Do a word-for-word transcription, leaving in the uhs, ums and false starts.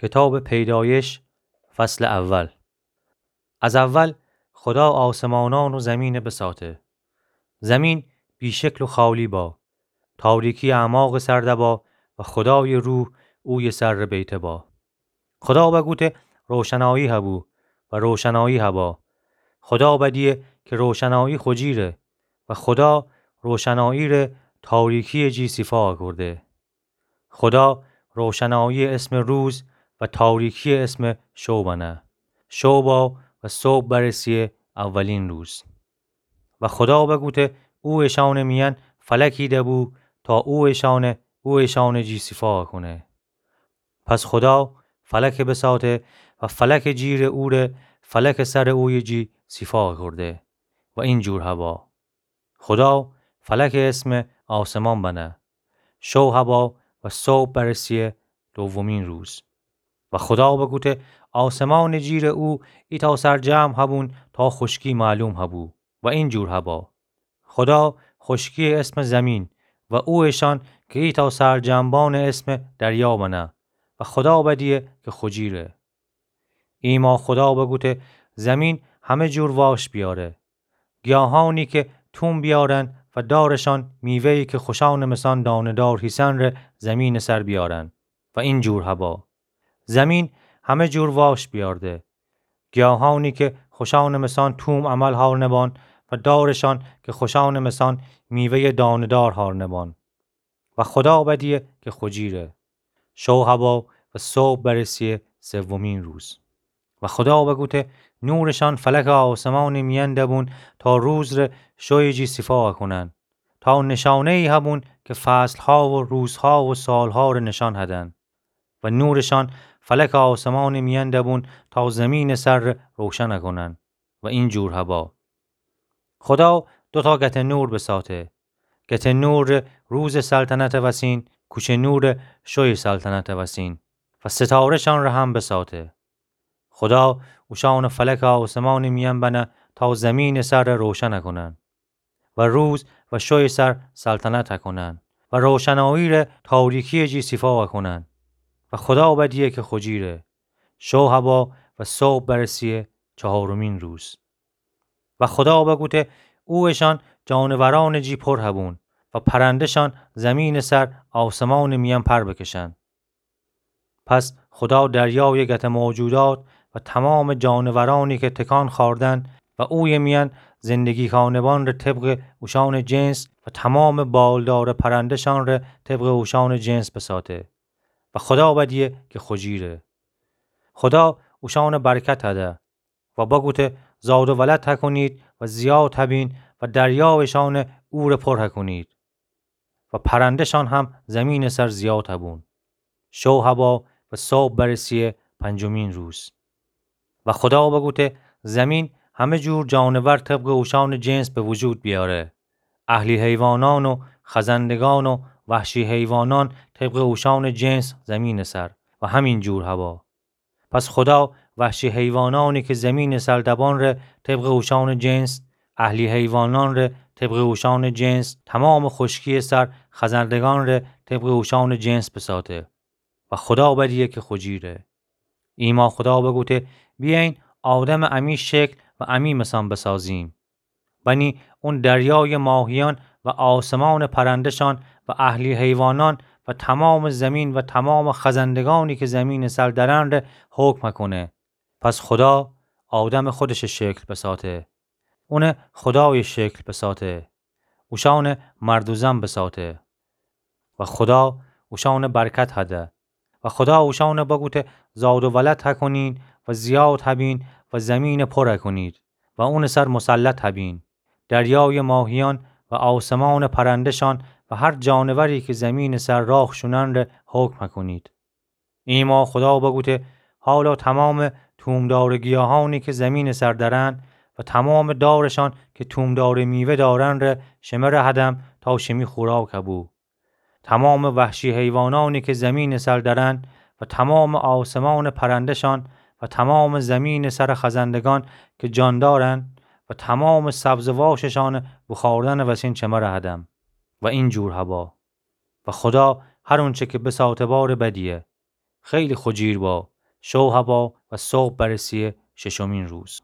کتابٚ پیدایش، فصلٚ اول. از اول خودا آسمانأن و زمینَ بساته. زمین بی‌شکل و خالی با، تاریکی اعماقٚ سر دبا و خودایٚ روح اویه سر بیته با. خودا بگوته: روشنایی هبو، و روشنایی هبا. خودا بدیه که روشنایی خو جیره، و خودا روشنایی ره تاریکی‌یٚ جی سیفا اکورده. خودا روشنایی‌یٚ اسم روز و تاریکی‌یٚ اسم شو بنه. شو با و صبح برسیه اولین روز. و خودا بگوته: او اشانٚ میأن فلکی دبو تا او اشانَ او اشانٚ جی سیفا کونه. پس خودا فلکَ بساته و فلکٚ جیرٚ اوره فلکٚ سرٚ اویه جی سیفا کرده و اینجور هبا. خودا فلکَ اسم آسمان بنه. شو هبا و صبح برسیه دومین روز. و خودا بگوته: آسمانٚ جیرٚ او ایتأ سرجمع هبون تا خوشکی معلوم هبو و اینجور هبا. خودا خوشکی‌یٚ اسم زمین و او اشان که ایتأ سرجمع بانٚ اسم دریا بنه و خودا بدیه که خو جیره. ایما خودا بگوته: زمین همه جور واش بیاره. گیاهانی که توم بیارن و دارشان میوه‌یی که خوشانٚ مسان دانه‌دار هیسن ره زمینٚ سر بیارن. و اینجور هبا. زمین همه جور واش بیارده. گیاهانی که خوشانٚ مسان توم عمل هار نبان و دارشان که خوشانٚ مسان میوه‌یٚ دانه‌دار هار نبان. و خودا بدیه که خو جیره. شو هبا و صبح برسیه سومین روز. و خودا بگوته: نورشان فلکٚ آسمانٚ میأن دبون تا روز ره شویٚ جی سیفا کونن. تا نشانه‌یی هبون که فصل‌ها و روزها و سالها ره نشان هدن. و نورشان فلکٚ آسمانٚ میأن دبون تا زمینٚ سر ره روشن کونن. و اینجور هبا. خودا دوتا گتٚ نور بساته. گتٚ نور ره روزٚ سلطنتٚ وسین، کوچه نور ره شویٚ سلطنتٚ وسین و ستاره‌شان ره هم بساته. خودا اوشانَ فلکٚ آسمانٚ میأن بنه تا زمینٚ سر ره روشن کونن و روز و شویٚ سر سلطنت کونن و روشنایی ره تاریکی‌یٚ جی سیفا کونن. و خودا بدیه که خو جیره. شو هبا و صبح برسیه چهارمین روز. و خودا بگوته: او اشان جانورانٚ جی پر هبون و پرنده‌شان زمینٚ سر آسمانٚ میأن پر بکشن. پس خودا دریایٚ گتٚ موجودات و تمامٚ جانورانی که تکان خوأردن و اویه میأن زندگی کانه‌بان ره طبقٚ اوشانٚ جنس و تمامٚ بالدارٚ پرنده‌شان ره طبقٚ اوشانٚ جنس بساته. و خودا بدیه که خو جیره. خودا اوشانَ برکت هده و بگوته: زاد و ولد هکونید و زیاد هبین و دریا اشانٚ اوره پر هکونید. و پرنده‌شان هم زمینٚ سر زیاد هبون. شو هبا و صبح برسیه پنجمین روز. و خودا بگوته: زمین همه جور جانور طبقٚ اوشانٚ جنس به وجود بیاره. اهلی حیوانان و خزندگان و وحشی حیوانان طبقٚ اوشانٚ جنس زمینٚ سر. و همین جور هبا. پس خودا وحشی حیوانانی که زمینٚ سر دبان ره طبقٚ اوشانٚ جنس، اهلی حیوانان ره طبقٚ اوشانٚ جنس، تمامٚ خوشکی‌یٚ سر خزندگان ره طبقٚ اوشانٚ جنس بساته. و خودا بدیه که خو جیره. ایما خودا بگوته: بیأیین آدمَ امی شکل و امی مثان بسازیم. بنی اون دریایٚ ماهیان و آسمانٚ پرنده‌شان و اهلی حیوانان و تمامٚ زمین و تمامٚ خزندگانی که زمینٚ سر درن ره حکم هکونه. پس خودا آدمَ خودشٚ شکل بساته. اونَ خودایٚ شکل بساته. اوشانَ مرد و زن بساته. و خودا اوشانَ برکت هده. و خودا اوشانَ بگوته: زاد و ولد هکونین و زیاد هبین و زمینَ پر هکونید و اونٚ سر مسلط هبین. دریایٚ ماهیان و آسمانٚ پرنده‌شان و هر جانوری که زمینٚ سر راه شونن ره حکم هکونید. ایما خودا بگوته: حالا تمامٚ تومدارٚ گیاهانی که زمینٚ سر درن و تمامٚ دارشان که تومدارٚ میوه دارن ره شمره هدم تا شیمی خوراک هبو. تمامٚ وحشی حیوانانی که زمینٚ سر درن و تمامٚ آسمانٚ پرنده‌شان و تمامٚ زمینٚ سر خزندگان که جان دارن و تمامٚ سبزٚ واششانَ بوخوردنٚ وسین شمره هدم. و اینجور هبا. و خودا هر اونچه که بساته باره بدیه. خیلی خو جیر با. شو هوا و صبح برسه‌یه ششمین روز.